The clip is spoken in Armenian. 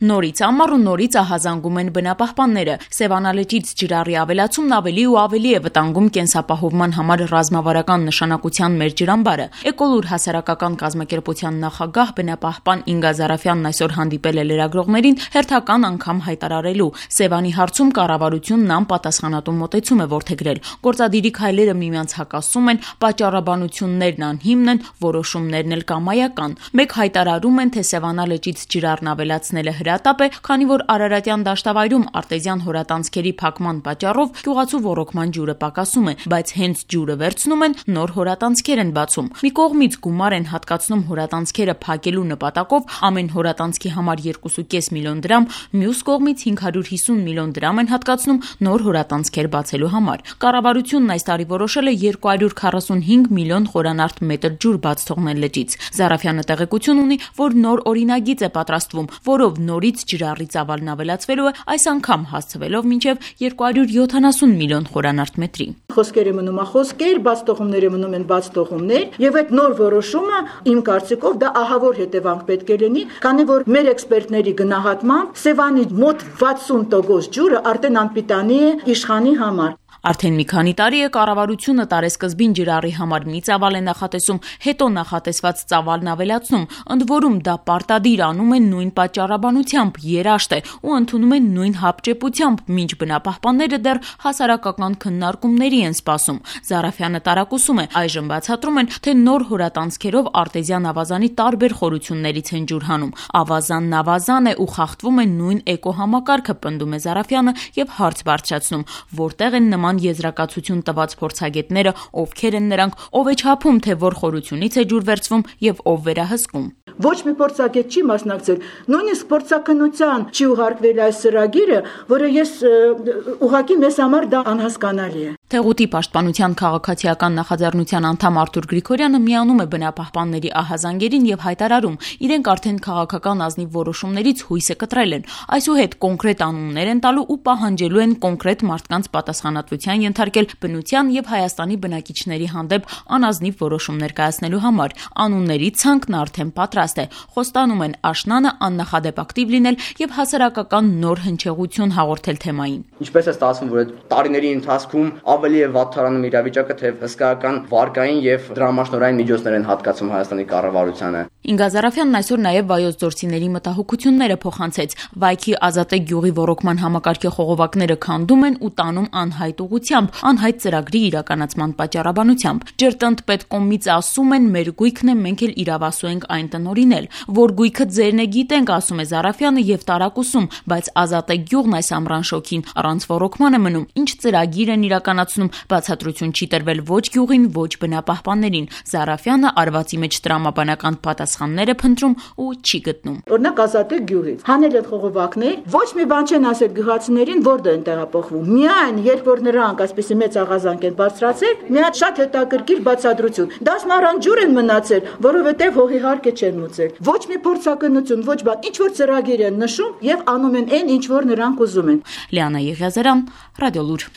Նորից ամառ ու նորից ահազանգում են բնապահպանները։ Սևանալճից ջրառի ավելացումն ավելի ու ավելի է վտանգում կենսապահովման համար ռազմավարական նշանակության մեր ջրամբարը։ Էկոլուր հասարակական կազմակերպության նախագահ բնապահպան Ինգա Զարաֆյանն այսօր հանդիպել է լրագրողներին հերթական անգամ հայտարարելու Սևանի հարցում կառավարությունն անպատասխանատու մոտեցում է որդեգրել։ Գործադիրի քայլերը միմյանց հակասում են, պատճառաբանություններն անհիմն են, որոշումներն էլ կամայական։ Մեկ հայտարարում են, թե Սևանալճից ջրառն ավելացնելը հրատապ է, քանի որ Արարատյան դաշտավայրում արտեզյան հորատանցքերի փակման պատճառով գյուղացու ոռոգման ջուրը պակասում է, բայց հենց ջուրը վերցնում են, նոր հորատանցքեր են բացում։ Մի կողմից գումար են հատկացնում հորատանցքերը փակելու նպատակով ամեն հորատանցքի համար 2.5 միլիոն դրամ, մյուս կողմից 550 միլիոն դրամ են հատկացնում նոր հորատանցքեր բացելու համար։ Կառավարությունն այս տարի որոշել է 245 միլիոն խորանարդ մետր ջուր բաց թողնել լճից։ Զարաֆյանը տեղեկություն ունի, որ նոր օրինագիծ է պատրաստվում, որով նորից ջրառի ծավալն ավելացվելու է, այս անգամ հասցվելով մինչև 270 միլիոն խորանարդ մետրի։ Խոսքերը մնում է խոսքեր, բաց թողումները մնում են բաց թողումներ, եւ այդ նոր որոշումը իմ կարծիքով դա ահավոր հետևանք պետք է լինի, քանի որ մեր էքսպերտների գնահատմամբ Սևանի մոտ 60% ջուրը արդեն անպիտանի է իշխանի համար։ Արդեն մի քանի տարի է կառավարությունը տարեսկզբին ջրառի համար մի ծավալ է նախատեսում, հետո նախատեսված ծավալն ավելացնում, ընդ որում դա պարտադիր անում են նույն պատճառաբանությամբ, երաշտ է ու ընդունում են նույն հապճեպությամբ, մինչ բնապահպանները դեռ հասարակական քննարկումների են սպասում։ Զարաֆյանը տարակուսում է, այժմ բացատրում են, թե նոր հորատանցքերով արտեզյան ավազանի տարբեր խորություններից են ջուր հանում։ Ավազանն ավազան է ու խախտվում է նույն էկոհամակարգը, պնդում է Զարաֆյանը եւ հարց բարձրացնում, որտեղ են նման եզրակացություն տված փորձագետները, ովքեր են նրանք, ով է չափում, թե որ խորությունից է ջուր վերցվում եւ ով վերահսկում։ Ոչ մի փորձագետ չի մասնակցել, նույնիսկ փորձաքննության չի ուղարկվել այս ծրագիրը, որը ես ուղղակի մեզ համար դա անհասկանալի է։ Թեղուտի պաշտպանության քաղաքացիական նախաձեռնության անդամ Արթուր Գրիգորյանը միանում է բնապահպանների ահազանգերին եւ հայտարարում, իրենք արդեն քաղաքական ազնիվ որոշումներից հույսը կտրել են, այսուհետ կոնկրետ անուններ են տալու ու պահանջելու են կոնկրետ մարդկանց պատասխանատվության ենթարկել բնության եւ Հայաստանի բնակիչների հանդեպ անազնիվ որոշումներ կայացնելու համար։ Անունների ցանկն արդեն պատրաստ է, խոստանում են աշնանը աննախադեպ ակտիվ լինել եւ հասարակական նոր հնչեղություն հաղորդել թեմային։ Ինչպես է ստացվում, որ տարիների ընթացքում ավելի է վատթարանում իրավիճակը, թե հսկայական վարկային եւ դրամաշնորհային միջոցներ են հատկացում Հայաստանի կառավարությանը։ Ինգա Զարաֆյանն այսօր նաեւ վայոց գործիների մտահոգությունները փոխանցեց։ Վայքի Ազատե գյուղի ոռոգման համակարգի խողովակները քանդում են ու տանում անհայտ ուղղությամբ, անհայտ ծրագրի իրականացման պատճառաբանությամբ։ Ջրտնտպետկոմից ասում են, մեր գույքն է, մենք էլ իրավասու ենք այն տնօրինել, որ գույքը ձերն է գիտենք, ասում է Զարաֆյանը եւ տարակուսում, բայց Ազատե գյուղն այս ամռան շոքին առանց ոռոգման է մնում։ Ինչ ծրագիր են իրականացնում, բացատրություն չի տրվել ոչ գյուղին, ոչ բնապահպաններին։ Զարաֆյանը արվածի մեջ տրամաբանական պատասխաններ է փնտրում ու չի գտնում։ Օրինակ Ազատե գյուղից հանել են խողովակներ, ոչ մի բան չեն ասել գյուղացիներին, որտեղ են տեղափոխվում։ Միայն երբ որ նրանք այսպեսի մեծ աղազանք են բարձրացել, մի հատ շատ հետաքրքիր բացատրություն։ Դասնարան ջուր են մնացել, որովհետեւ հողի հարկը չեն մուծել։ Ոչ մի փորձակնություն, ոչ բան, ինչ որ ծրագիր են նշում եւ անում են այն, ինչ որ նրանք ուզում են։ Լիանա Եղիազարյան, Ռադիոլուր։